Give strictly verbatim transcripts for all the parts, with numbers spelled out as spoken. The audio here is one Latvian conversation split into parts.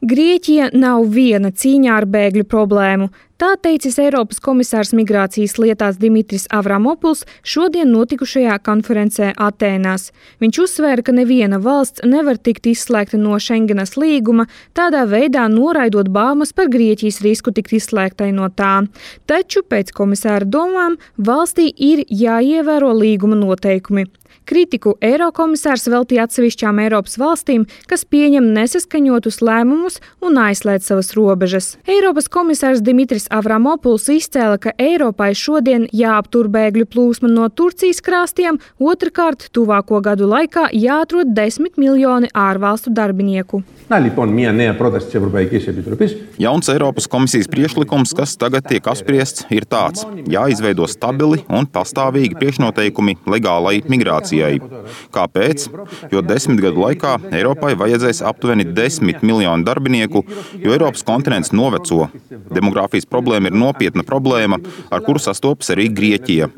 Grieķija nav viena cīņā ar bēgļu problēmu. Tā teicis Eiropas komisārs migrācijas lietās Dimitris Avramopuls šodien notikušajā konferencē Atēnās. Viņš uzsvēra, ka neviena valsts nevar tikt izslēgta no Šengenas līguma, tādā veidā noraidot baumas par Grieķijas risku tikt izslēgtai no tā. Taču pēc komisāra domām valstī ir jāievēro līguma noteikumi. Kritiku Eirokomisārs veltīja atsevišķām Eiropas valstīm, kas pieņem nesaskaņotus lēmumus un aizslēdz savas robežas. Eiropas komisārs Dimitris Avramopuls izcēla, ka Eiropai šodien jāaptur bēgļu plūsma no Turcijas krastiem, otrkārt tuvāko gadu laikā jāatrod desmit miljoni ārvalstu darbinieku. Jauns Eiropas komisijas priekšlikums, kas tagad tiek apspriests, ir tāds: jāizveido stabili un pastāvīgi priekšnoteikumi legālai migrācijai. Kāpēc? Jo desmit gadu laikā Eiropai vajadzēs aptuveni desmit miljonu darbinieku, jo Eiropas kontinents noveco. Demogrāfijas problēma ir nopietna problēma, ar kuru sastopas arī Grieķija.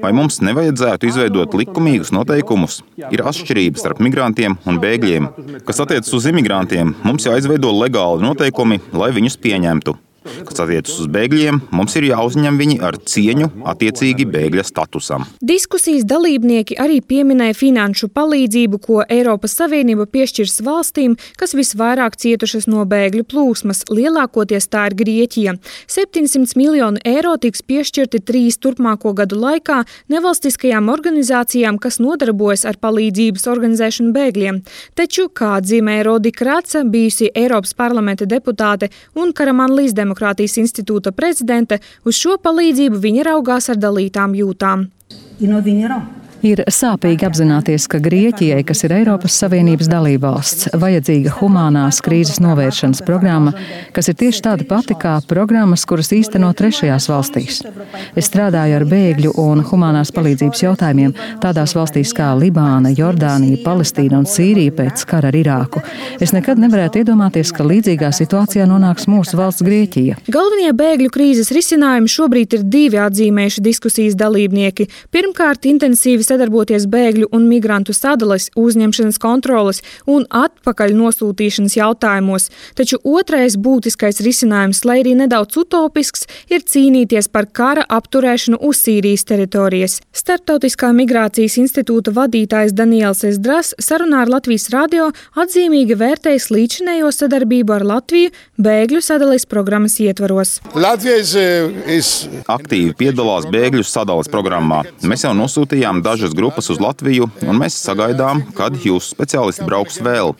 Vai mums nevajadzētu izveidot likumīgus noteikumus? Ir atšķirības starp migrantiem un bēgļiem. Kas attiecas uz imigrantiem, mums jāizveido legāli noteikumi, lai viņus pieņemtu. Kas attiecas uz bēgļiem, mums ir jāuzņem viņi ar cieņu attiecīgi bēgļa statusam. Diskusijas dalībnieki arī pieminēja finanšu palīdzību, ko Eiropas Savienība piešķirs valstīm, kas visvairāk cietušas no bēgļu plūsmas. Lielākoties tā ir Grieķija. septiņsimt miljoni eiro tiks piešķirti trīs turpmāko gadu laikā nevalstiskajām organizācijām, kas nodarbojas ar palīdzības organizēšanu bēgļiem. Taču, kā atzīmēja Rodi Kraca, bijusi Eiropas parlamenta deputāte un Karamanlis Demokrātijas institūta prezidente, uz šo palīdzību viņa raugās ar dalītām jūtām. Ir sāpīgi apzināties, ka Grieķijai, kas ir Eiropas Savienības dalībvalsts, vajadzīga humānās krīzes novēršanas programma, kas ir tieši tāda pati kā programmas, kuras īsteno trešajās valstīs. Es strādāju ar bēgļu un humānās palīdzības jautājumiem tādās valstīs kā Libāna, Jordānija, Palestīna un Sīrija pēc kara ar Irāku. Es nekad nevarētu iedomāties, ka līdzīgā situācijā nonāks mūsu valsts Grieķija. Galvenie bēgļu krīzes risinājumi šobrīd ir divi, atzīmējuši diskusijas dalībnieki. Pirmkārt, intensīvi sadarboties bēgļu un migrantu sadales, uzņemšanas kontroles un atpakaļ nosūtīšanas jautājumos. Taču otrais būtiskais risinājums, lai arī nedaudz utopisks, ir cīnīties par kara apturēšanu uz Sīrijas teritorijas. Starptautiskā migrācijas institūta vadītājs Daniels Esdras sarunā ar Latvijas radio atzīmīgi vērtējis līdzinējo sadarbību ar Latviju bēgļu sadales programmas ietvaros. Aktīvi piedalās bēgļu sadales programmā. Mēs jau nosūtījām dažas grupas uz Latviju, un mēs sagaidām, kad jūsu speciālisti brauks vēl.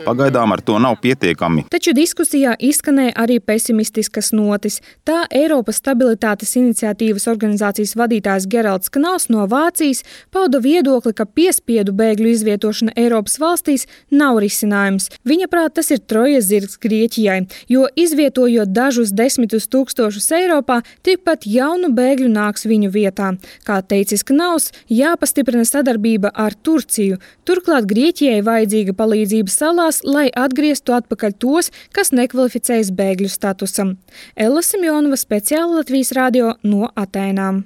Pagaidām ar to nav pietiekami. Taču diskusijā izskanēja arī pesimistiskas notis. Tā Eiropas stabilitātes iniciatīvas organizācijas vadītājs Geralds Knauss no Vācijas pauda viedokli, ka piespiedu bēgļu izvietošana Eiropas valstīs nav risinājums. Viņa prāt, tas ir trojas zirgs Grieķijai, jo izvietojot dažus desmitus tūkstošus Eiropā, tikpat jaunu bēgļu nāks viņu vietā. Kā teicis Knauss, jāpastiprina sadarbība ar Turciju. Turklāt Grieķijai vajadzīga palīdzība salās, lai atgrieztu atpakaļ tos, kas nekvalificējas bēgļu statusam. Ella Simjonova, speciāli Latvijas radio no Atēnām.